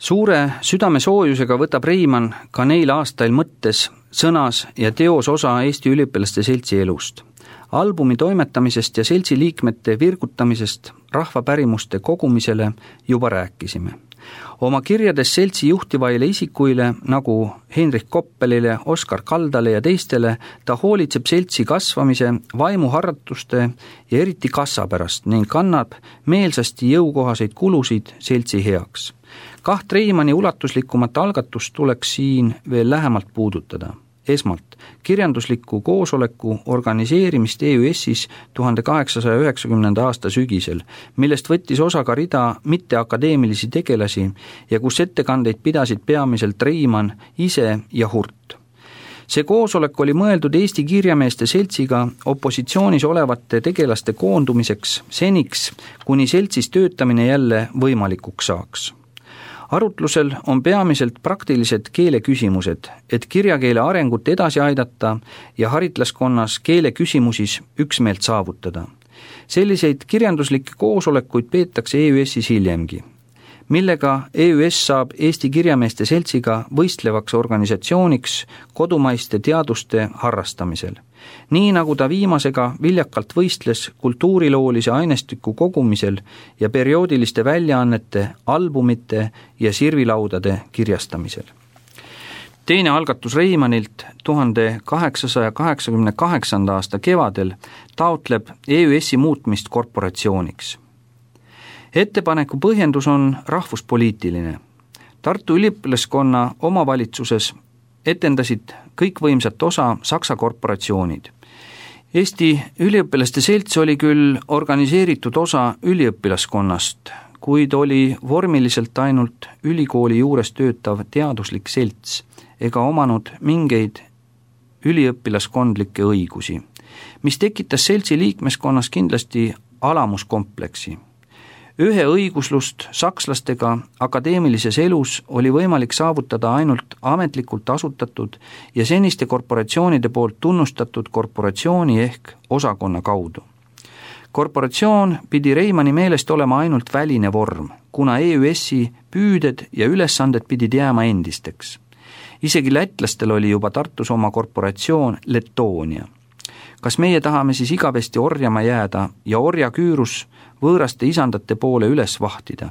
Suure südamesoojusega võtab Reimann ka neil aastail mõttes, sõnas ja teos osa Eesti Üliõpilaste Seltsi elust. Albumi toimetamisest ja seltsi liikmete virgutamisest rahvapärimuste kogumisele juba rääkisime. Oma kirjades seltsi juhtivaile isikuile nagu Heinrich Koppelile, Oskar Kaldale ja teistele ta hoolitseb seltsi kasvamise, vaimuharratuste ja eriti kassa pärast ning kannab meelsasti jõukohaseid kulusid seltsi heaks. 2 Reimanni ulatuslikumat algatust tuleks siin veel lähemalt puudutada. Esmalt, kirjandusliku koosoleku organiseerimist EÜS-is 1890. aasta sügisel, millest võttis osa ka rida mitteakadeemilisi tegelasi ja kus ettekandeid pidasid peamiselt Reimann ise ja Hurt. See koosolek oli mõeldud Eesti Kirjameeste Seltsiga opositsioonis olevate tegelaste koondumiseks seniks, kuni seltsis töötamine jälle võimalikuks saaks. Arutlusel on peamiselt praktilised keeleküsimused, et kirjakeele arengut edasi aidata ja haritlaskonnas keeleküsimusis üksmeelt saavutada. Selliseid kirjanduslikke koosolekuid peetakse EÜS-is hiljemgi, millega EÜS saab Eesti Kirjameeste Seltsiga võistlevaks organisatsiooniks kodumaiste teaduste harrastamisel. Nii nagu ta viimasega viljakalt võistles kultuuriloolise ainestiku kogumisel ja perioodiliste väljaannete, albumite ja sirvilaudade kirjastamisel. Teine algatus Reimannilt 1888. aasta kevadel taotleb EÜS-i muutmist korporatsiooniks. Ettepaneku põhjendus on rahvuspoliitiline. Tartu üliõpilaskonna omavalitsuses etendasid kõikvõimsat osa Saksa korporatsioonid. Eesti Üliõpilaste Selts oli küll organiseeritud osa üliõpilaskonnast, kuid oli vormiliselt ainult ülikooli juures töötav teaduslik selts ega omanud mingeid üliõpilaskondlikke õigusi, mis tekitas seltsi liikmeskonnas kindlasti alamuskompleksi. Ühe õiguslust sakslastega akadeemilises elus oli võimalik saavutada ainult ametlikult asutatud ja seniste korporatsioonide poolt tunnustatud korporatsiooni ehk osakonna kaudu. Korporatsioon pidi Reimanni meelest olema ainult väline vorm, kuna EÜS-i püüded ja ülesanded pidid jääma endisteks. Isegi lätlastel oli juba Tartus oma korporatsioon Letoonia. Kas meie tahame siis igavesti orjama jääda ja orjaküürus võõraste isandate poole üles vahtida?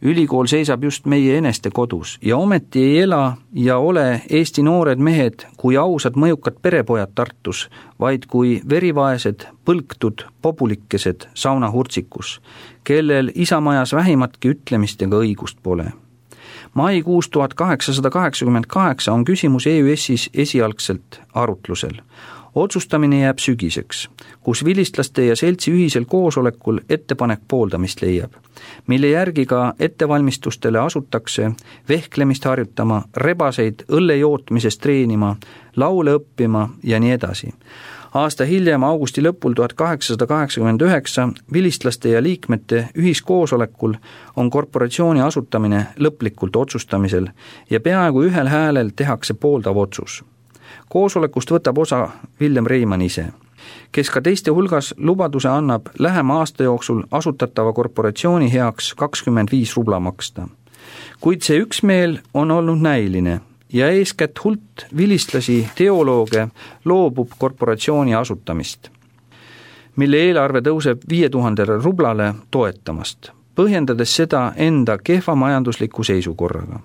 Ülikool seisab just meie eneste kodus ja ometi ei ela ja ole Eesti noored mehed kui ausad mõjukad perepojad Tartus, vaid kui verivaesed, põlktud populikesed saunahurtsikus, kellel isamajas vähimatki ütlemist ega õigust pole. Maikuus 1888 on küsimus EÜS-is esialgselt arutlusel. Otsustamine jääb sügiseks, kus vilistlaste ja seltsi ühisel koosolekul ettepanek pooldamist leiab, mille järgi ka ettevalmistustele asutakse vehklemist harjutama, rebaseid õllejootmisest treenima, laule õppima ja nii edasi. Aasta hiljem, augusti lõpul 1889, vilistlaste ja liikmete ühiskoosolekul on korporatsiooni asutamine lõplikult otsustamisel ja peaaegu ühel häälel tehakse pooldav otsus. Koosolekust võtab osa Villem Reimann ise, kes ka teiste hulgas lubaduse annab lähema aasta jooksul asutatava korporatsiooni heaks 25 rubla maksta. Kuid see üksmeel on olnud näiline ja eeskätt hult vilistlasi teolooge loobub korporatsiooni asutamist, mille eelarve tõuseb 5000 rublale toetamast, põhjendades seda enda kehva majandusliku seisukorraga.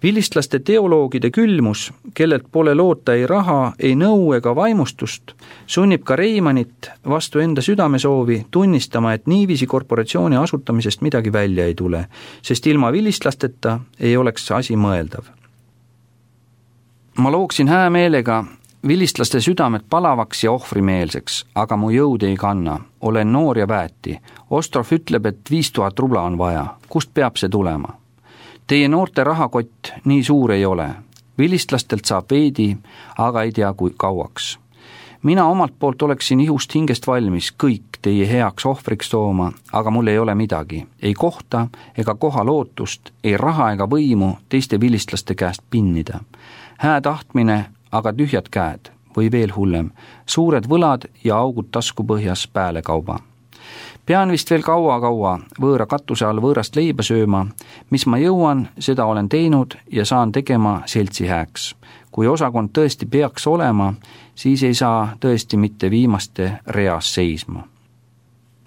Vilistlaste teoloogide külmus, kellelt pole loota ei raha, ei nõu ega vaimustust, sunnib ka Reimannit vastu enda südamesoovi tunnistama, et niiviisi korporatsiooni asutamisest midagi välja ei tule, sest ilma vilistlasteta ei oleks asi mõeldav. Ma looksin hää meelega vilistlaste südamed palavaks ja ohvrimeelseks, aga mu jõud ei kanna, olen noor ja väeti. Ostrov ütleb, et 5000 rubla on vaja, kust peab see tulema? Teie noorte rahakott nii suur ei ole. Vilistlastelt saab veidi, aga ei tea kui kauaks. Mina omalt poolt oleksin ihust hingest valmis kõik teie heaks ohvriks tooma, aga mul ei ole midagi. Ei kohta ega koha lootust, ei raha ega võimu teiste vilistlaste käest pinnida. Hää tahtmine, aga tühjad käed või veel hullem, suured võlad ja augud taskupõhjas päälekauba. Pean vist veel kaua võõra katuse all võõrast leiba sööma, mis ma jõuan, seda olen teinud ja saan tegema seltsi hääks. Kui osakond tõesti peaks olema, siis ei saa tõesti mitte viimaste reas seisma.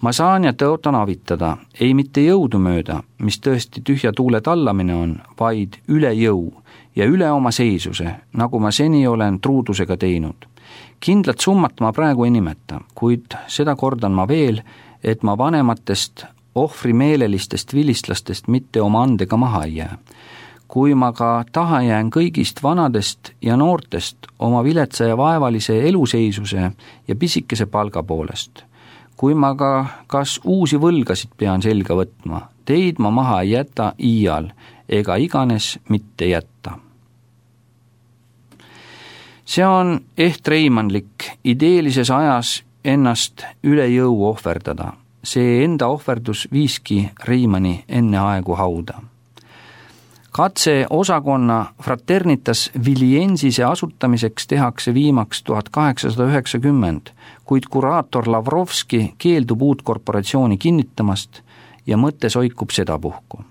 Ma saan ja tõotan avitada, ei mitte jõudu mööda, mis tõesti tühja tuule tallamine on, vaid üle jõu ja üle oma seisuse, nagu ma seni olen truudusega teinud. Kindlat summat ma praegu ei nimeta, kuid seda kordan ma veel, et ma vanematest ohvrimeelelistest vilistlastest mitte oma andega maha ei jää. Kui ma ka taha jään kõigist vanadest ja noortest oma viletsa ja vaevalise eluseisuse ja pisikese palga poolest, kui ma ka kas uusi võlgasid pean selga võtma, teid ma maha ei jäta iial ega iganes mitte jätta. See on reimannlik ideelises ajas ennast üle jõu ohverdada. See enda ohverdus viiski Reimanni enne aegu hauda. Katse osakonna Fraternitas Viliensise asutamiseks tehakse viimaks 1890, kuid kuraator Lavrovski keeldub uut korporatsiooni kinnitamast ja mõte soikub sedapuhku.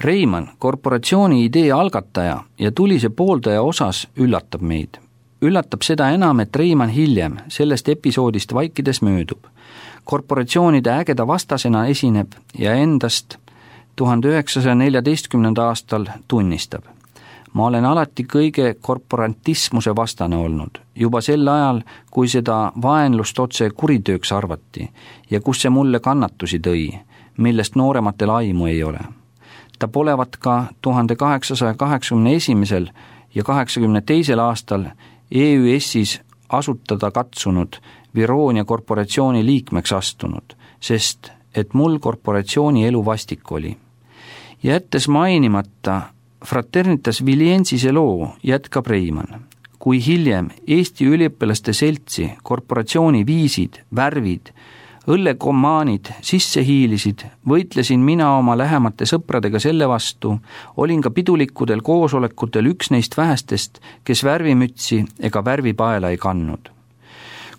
Reimann, korporatsiooni idee algataja ja tulise pooldaja osas üllatab meid. Üllatab seda enam, et Reimann hiljem sellest episoodist vaikides möödub. Korporatsioonide ägeda vastasena esineb ja endast 1914. aastal tunnistab. Ma olen alati kõige korporantismuse vastane olnud, juba sel ajal, kui seda vaenlust otse kuritööks arvati ja kus see mulle kannatusi tõi, millest noorematel aimu ei ole. Ta polevat ka 1881. ja 82. aastal EÜS-is asutada katsunud Viroonia korporatsiooni liikmeks astunud, sest et mul korporatsiooni elu vastik oli. Jättes mainimata Fraternitas Viliensise loo jätkab Reimann. Kui hiljem Eesti üliõpilaste seltsi korporatsiooni viisid, värvid, õllekommaanid sisse hiilisid, võitlesin mina oma lähemate sõpradega selle vastu, olin ka pidulikudel koosolekutel üks neist vähestest, kes värvimütsi ega värvipaela ei kannud.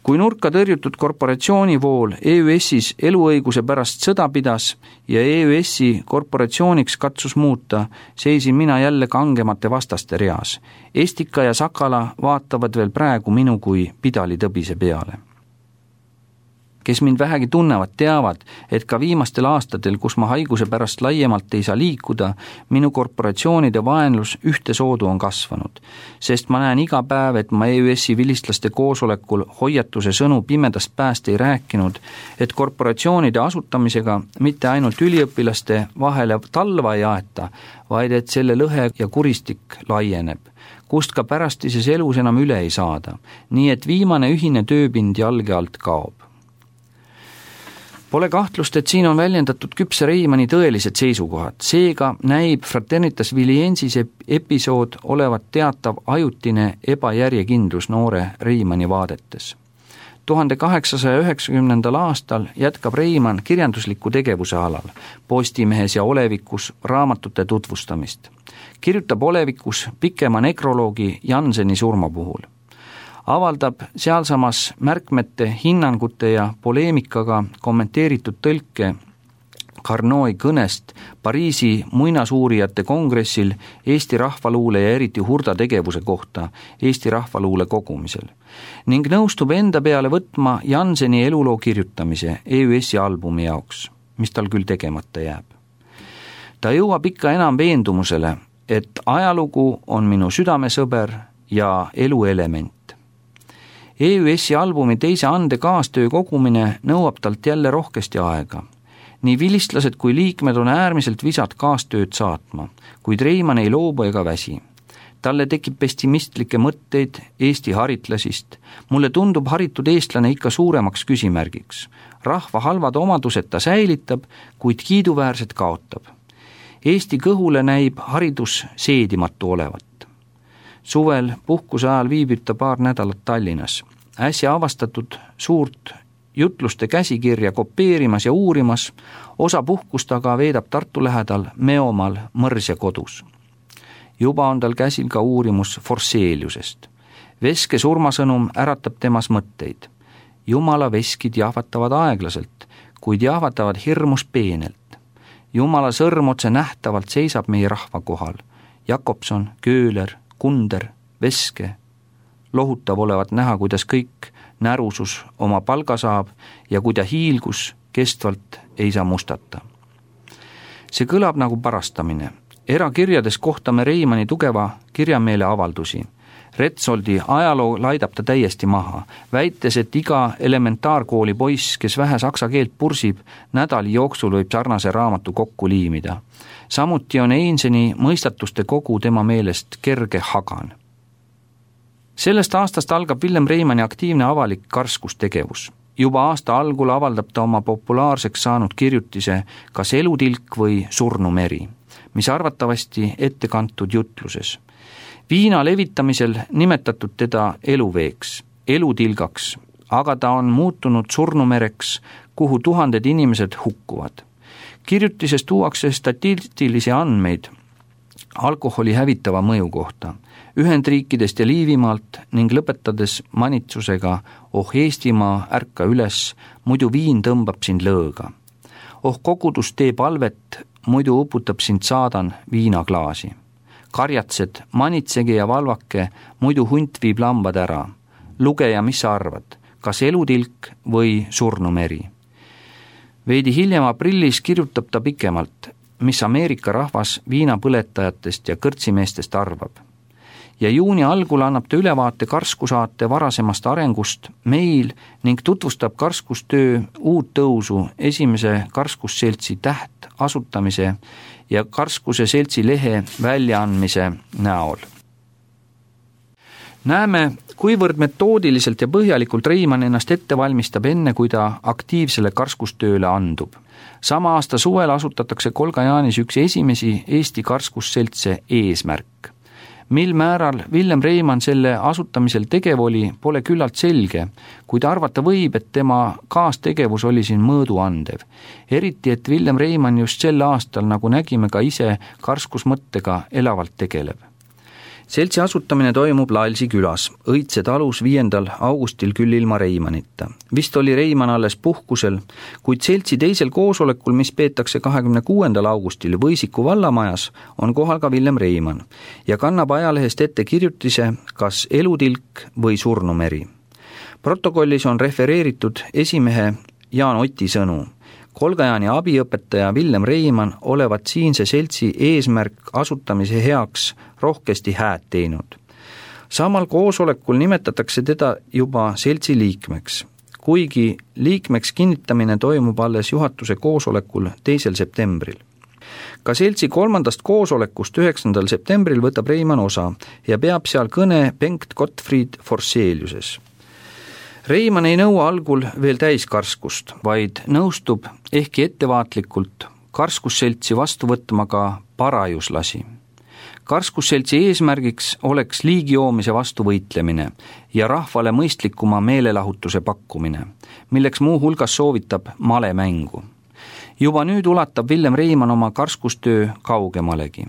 Kui nurka tõrjutud korporatsiooni vool EÜS-is eluõiguse pärast sõda pidas ja EÜS-i korporatsiooniks katsus muuta, seisin mina jälle kangemate vastaste reas. Estika ja Sakala vaatavad veel praegu minu kui pidali tõbise peale. Kes mind vähegi tunnevad, teavad, et ka viimastel aastatel, kus ma haiguse pärast laiemalt ei saa liikuda, minu korporatsioonide vaenlus ühte soodu on kasvanud, sest ma näen iga päev, et ma EÜS-i vilistlaste koosolekul hoiatuse sõnu pimedast pääst ei rääkinud, et korporatsioonide asutamisega mitte ainult üliõpilaste vahele talva ei aeta, vaid et selle lõhe ja kuristik laieneb, kust ka pärastises elus enam üle ei saada, nii et viimane ühine tööpind jalge alt kaob. Pole kahtlust, et siin on väljendatud küpse Reimanni tõelised seisukohad, seega näib Fraternitas Viliensise episood olevat teatav ajutine ebajärjekindlus noore Reimanni vaadetes. 1890. aastal jätkab Reimann kirjandusliku tegevuse alal, Postimehes ja Olevikus raamatute tutvustamist. Kirjutab Olevikus pikema nekroloogi Janseni surma puhul. Avaldab sealsamas märkmete, hinnangute ja poleemikaga kommenteeritud tõlke Carnot'i kõnest Pariisi muinasuurijate kongressil Eesti rahvaluule ja eriti hurda tegevuse kohta Eesti rahvaluule kogumisel ning nõustub enda peale võtma Janseni eluloo kirjutamise EÜS-i albumi jaoks, mis tal küll tegemata jääb. Ta jõuab ikka enam veendumusele, et ajalugu on minu südamesõber ja eluelement. EÜS-i albumi teise ande kaastöö kogumine nõuab talt jälle rohkesti aega. Nii vilistlased kui liikmed on äärmiselt visad kaastööd saatma, kuid Reimann ei loobu ega väsi. Talle tekib pessimistlikke mõtteid Eesti haritlasist. Mulle tundub haritud eestlane ikka suuremaks küsimärgiks. Rahva halvad omadused ta säilitab, kuid kiiduväärset kaotab. Eesti kõhule näib haridus seedimatu olevat. Suvel puhkuse ajal viibib ta paar nädalat Tallinnas. Äsja avastatud suurt jutluste käsikirja kopeerimas ja uurimas, osa puhkust aga veedab Tartu lähedal Meomaal Mõrsja kodus. Juba on tal käsil ka uurimus Forseliusest. Veske surmasõnum äratab temas mõtteid. Jumala veskid jahvatavad aeglaselt, kuid jahvatavad hirmus peenelt. Jumala sõrm otse nähtavalt seisab meie rahva kohal. Jakobson, Kööler, Kunder, Veske. Lohutav olevat näha, kuidas kõik närusus oma palga saab ja kuida hiilgus kestvalt ei saa mustata. See kõlab nagu parastamine. Erakirjades kohtame Reimanni tugeva kirjameele avaldusi. Retsoldi ajaloo laidab ta täiesti maha, väites, et iga elementaarkooli poiss, kes vähe saksa keelt pursib, nädali jooksul võib sarnase raamatu kokku liimida. Samuti on Einseni mõistatuste kogu tema meelest kerge hagan. Sellest aastast algab Villem Reimanni aktiivne avalik karskustegevus. Juba aasta algul avaldab ta oma populaarseks saanud kirjutise Kas elutilk või surnumeri, mis arvatavasti ette kantud jutluses. Viina levitamisel nimetatud teda eluveeks, elutilgaks, aga ta on muutunud surnumereks, kuhu tuhanded inimesed hukkuvad. Kirjutises tuuakse statistilisi andmeid alkoholi hävitava mõju kohta, Ühendriikidest ja Liivimaalt ning lõpetades manitsusega Oh Eestimaa, ärka üles, muidu viin tõmbab sind lõõga. Oh kogudus tee palvet, muidu uputab sind saadan viinaklaasi. Karjatsed, manitsege ja valvake, muidu hunt viib lambad ära. Lugeja, mis sa arvad, kas elutilk või surnumeri? Veidi hiljem aprillis kirjutab ta pikemalt, mis Ameerika rahvas viinapõletajatest ja kõrtsimeestest arvab. Ja juuni algul annab ta ülevaate karskusaate varasemast arengust meil ning tutvustab karskustöö uut tõusu esimese karskusseltsi täht asutamise ja karskuse seltsi lehe väljaandmise näol. Näeme, kuivõrd metoodiliselt ja põhjalikult Reimann ennast ette valmistab enne, kui ta aktiivsele karskustööle andub. Sama aasta suvel asutatakse Kolga-Jaanis üks esimesi Eesti karskusseltse Eesmärk. Mil määral Villem Reimann selle asutamisel tegev oli, pole küllalt selge, kuid arvata võib, et tema kaastegevus oli siin mõõduandev. Eriti, et Villem Reimann just sel aastal, nagu nägime ka ise, karskusmõttega elavalt tegeleb. Seltsi asutamine toimub Laelsi külas, Õitse talus 5. augustil küll ilma Reimannita. Vist oli Reimann alles puhkusel, kuid seltsi teisel koosolekul, mis peetakse 26. augustil Võisiku vallamajas, on kohal ka Villem Reimann ja kannab ajalehest ette kirjutise Kas elutilk või surnumeri. Protokollis on refereeritud esimehe Jaan Oti sõnu. Kolga-Jaani abiõpetaja Villem Reimann olevat siinse seltsi Eesmärk asutamise heaks rohkesti hääd teinud. Samal koosolekul nimetatakse teda juba seltsi liikmeks, kuigi liikmeks kinnitamine toimub alles juhatuse koosolekul 2. septembril. Ka seltsi 3. koosolekust 9. septembril võtab Reimann osa ja peab seal kõne Bengt Gottfried Forseliuses. Reimann ei nõua algul veel täiskarskust, vaid nõustub ehkki ettevaatlikult karskusseltsi vastu võtma ka parajuslasi. Karskusseltsi eesmärgiks oleks liigijoomise vastu võitlemine ja rahvale mõistlikuma meelelahutuse pakkumine, milleks muu hulgas soovitab malemängu. Juba nüüd ulatab Villem Reimann oma karskustöö kaugemalegi.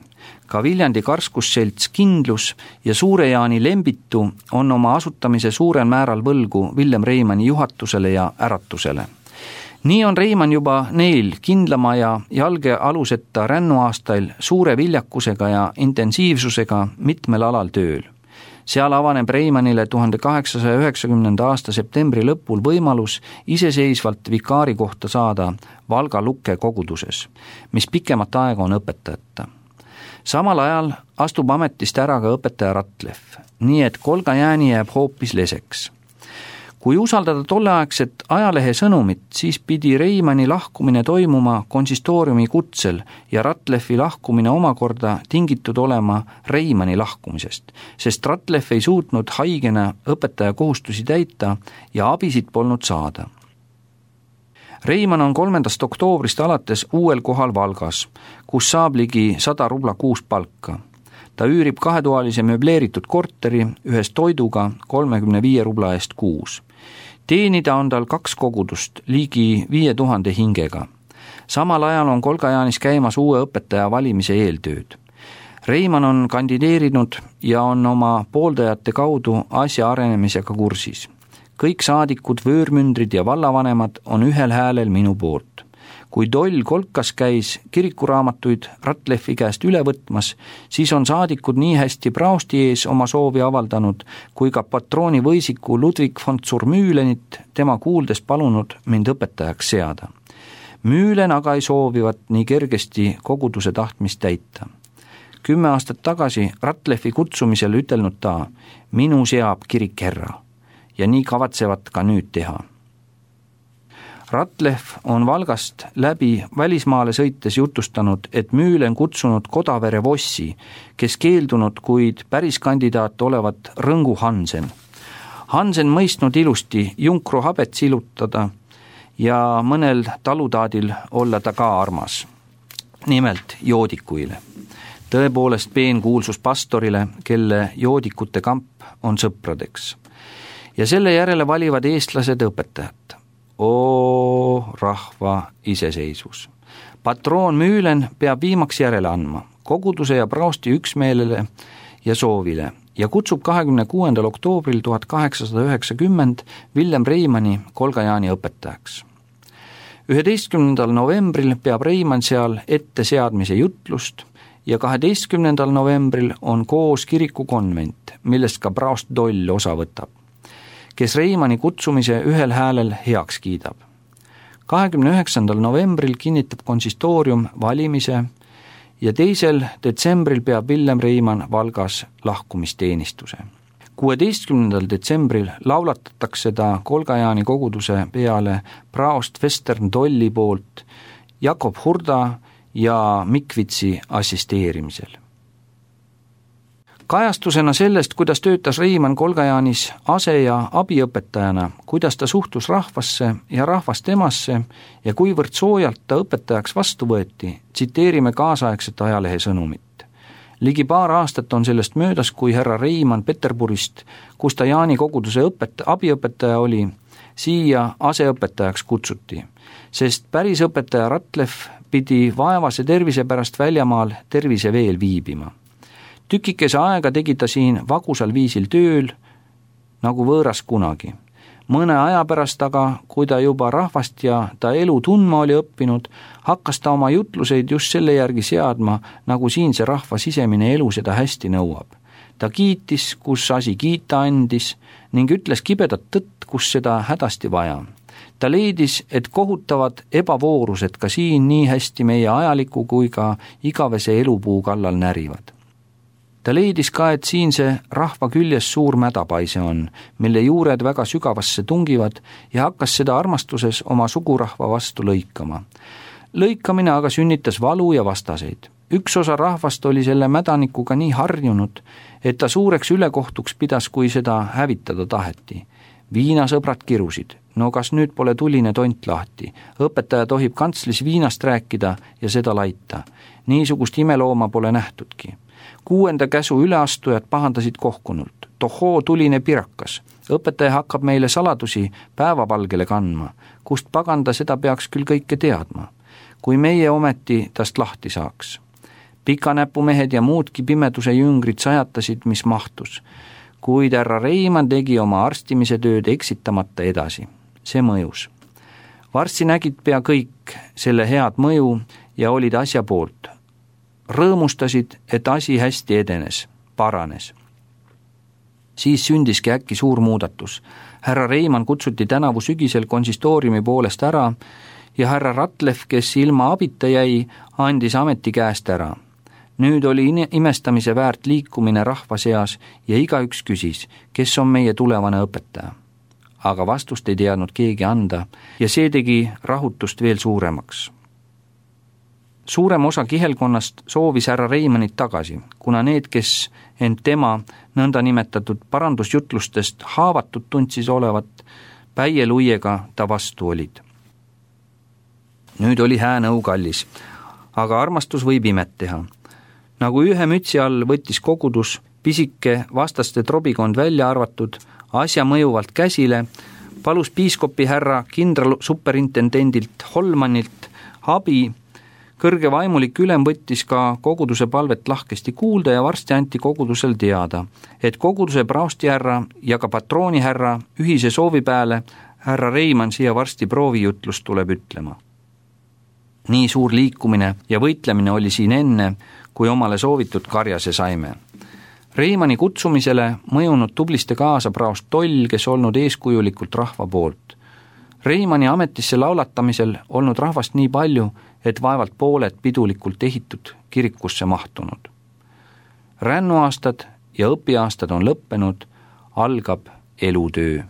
Ka Viljandi karskusselts Kindlus ja Suure-Jaani Lembitu on oma asutamise suurel määral võlgu Villem Reimanni juhatusele ja äratusele. Nii on Reimann juba neil kindlama ja jalge aluseta rännuaastail suure viljakusega ja intensiivsusega mitmel alal tööl. Seal avaneb Reimannile 1890. aasta septembri lõpul võimalus iseseisvalt vikaari kohta saada Valga Lukke koguduses, mis pikemat aega on õpetajata. Samal ajal astub ametist ära ka õpetaja Ratlev, nii et Kolga-Jääni jääb hoopis leseks. Kui usaldada tolleaegset ajalehe sõnumit, siis pidi Reimanni lahkumine toimuma konsistooriumi kutsel ja Ratlevi lahkumine omakorda tingitud olema Reimanni lahkumisest, sest Ratlev ei suutnud haigena õpetaja kohustusi täita ja abisid polnud saada. Reimann on 3. oktoobrist alates uuel kohal Valgas, kus saab ligi 100 rubla kuus palka. Ta üürib 2-toalise möbleeritud korteri ühes toiduga 35 rubla eest kuus. Teenida on tal 2 kogudust ligi 5000 hingega. Samal ajal on Kolga-Jaanis käimas uue õpetaja valimise eeltööd. Reimann on kandideerinud ja on oma pooldajate kaudu asja arenemisega kursis. kõik saadikud, vöörmündrid ja vallavanemad on ühel häälel minu poolt. Kui Toll Kolkas käis kirikuraamatuid Ratlefi käest üle võtmas, siis on saadikud nii hästi Prausti ees oma soovi avaldanud, kui ka patrooni võisiku Ludwig von Zurmühlenit tema kuuldes palunud mind õpetajaks seada. Mühlen aga ei soovivat nii kergesti koguduse tahtmist täita. 10 aastat tagasi Ratlefi kutsumisel ütelnud ta, minu seab kirik herra, ja nii kavatsevad ka nüüd teha. Ratlef on Valgast läbi välismaale sõites jutustanud, et Mühlen kutsunud Kodavere Vossi, kes keeldunud, kuid päris kandidaat olevat Rõngu Hansen. Hansen mõistnud ilusti Junkru habet silutada ja mõnel talutaadil olla ta ka armas, nimelt joodikuile. Tõepoolest peenkuulsus pastorile, kelle joodikute kamp on sõpradeks. Ja selle järele valivad eestlased õpetajat. Rahva iseseisvus. Patroon Mühlen peab viimaks järele andma koguduse ja Prausti üksmeelele ja soovile ja kutsub 26. oktoobril 1890 Villem Reimanni Kolgajaani õpetajaks. 11. novembril peab Reimann seal ette seadmise jutlust ja 12. novembril on koos kirikukonvent, millest ka Praust Toll osa võtab, kes Reimanni kutsumise ühel häälel heaks kiidab. 29. novembril kinnitab konsistoorium valimise ja 2. detsembril peab Villem Reimann Valgas lahkumisteenistuse. 16. detsembril laulatatakse ta Kolgajaani koguduse peale Praost Western Tolli poolt Jakob Hurda ja Mikvitsi assisteerimisel. Kajastusena sellest, kuidas töötas Reimann Kolgajaanis ase- ja abiõpetajana, kuidas ta suhtus rahvasse ja rahvast temasse ja kuivõrd soojalt ta õpetajaks vastu võeti, tsiteerime kaasaegset ajalehe sõnumit. Ligi paar aastat on sellest möödas, kui härra Reimann Peterburist, kus ta Jaani koguduse abiõpetaja oli, siia aseõpetajaks kutsuti, sest päris õpetaja Ratlef pidi vaevase tervise pärast väljamaal terviseveel viibima. Tükikese aega tegi ta siin vagusal viisil tööl, nagu võõras kunagi. Mõne aja pärast aga, kui ta juba rahvast ja ta elu tundma oli õppinud, hakkas ta oma jutluseid just selle järgi seadma, nagu siinse rahva sisemine elu seda hästi nõuab. Ta kiitis, kus asi kiita andis ning ütles kibedat tõtt, kus seda hädasti vaja. Ta leidis, et kohutavad ebavoorused ka siin nii hästi meie ajaliku kui ka igavese elupuu kallal närivad. Ta leidis ka, et siinse rahva küljes suur mädapaise on, mille juured väga sügavasse tungivad ja hakkas seda armastuses oma sugurahva vastu lõikama. Lõikamine aga sünnitas valu ja vastaseid. Üks osa rahvast oli selle mädanikuga nii harjunud, et ta suureks ülekohtuks pidas, kui seda hävitada taheti. Viinasõbrad kirusid. No kas nüüd pole tuline tont lahti? Õpetaja tohib kantslis viinast rääkida ja seda laita. Niisugust imelooma pole nähtudki. 6. käsu üleastujad pahandasid kohkunult. Tohoo tuline pirakas. Õpetaja hakkab meile saladusi päevavalgele kandma. Kust paganda seda peaks küll kõike teadma. Kui meie ometi tast lahti saaks. Pikanäpumehed ja muudki pimeduse jüngrid sajatasid, mis mahtus. Kuid härra Reimann tegi oma arstimise tööd eksitamata edasi. See mõjus. Varsti nägid pea kõik selle head mõju ja olid asja poolt. Rõõmustasid, et asi hästi edenes, paranes. Siis sündiski äkki suur muudatus. Härra Reimann kutsuti tänavu sügisel konsistooriumi poolest ära ja härra Ratlef, kes ilma abita jäi, andis ameti käest ära. Nüüd oli imestamise väärt liikumine rahva seas ja igaüks küsis, kes on meie tulevane õpetaja. Aga vastust ei teadnud keegi anda ja see tegi rahutust veel suuremaks. Suurem osa kihelkonnast soovis härra Reimannit tagasi, kuna need, kes end tema nõnda nimetatud parandusjutlustest haavatud tundsis olevat, päieluiega ta vastu olid. Nüüd oli häänõu kallis, aga armastus võib imet teha. Nagu ühe mütsi all võttis kogudus, pisike vastaste trobikond välja arvatud, asja mõjuvalt käsile, palus piiskopi härra kindral superintendendilt Holmanilt abi, Kõrge vaimulik ülem võttis ka koguduse palvet lahkesti kuulda ja varsti anti kogudusel teada, et koguduse praostihärra ja ka patroonihärra ühise soovi peale härra Reimann siia varsti proovijutlust tuleb ütlema. Nii suur liikumine ja võitlemine oli siin enne, kui omale soovitud karjase saime. Reimanni kutsumisele mõjunud tubliste kaasa praost Toll, kes olnud eeskujulikult rahva poolt. Reimanni ametisse laulatamisel olnud rahvast nii palju, et vaevalt pooled pidulikult ehitud kirikusse mahtunud. Rännuaastad ja õpiaastad on lõppenud, algab elutöö.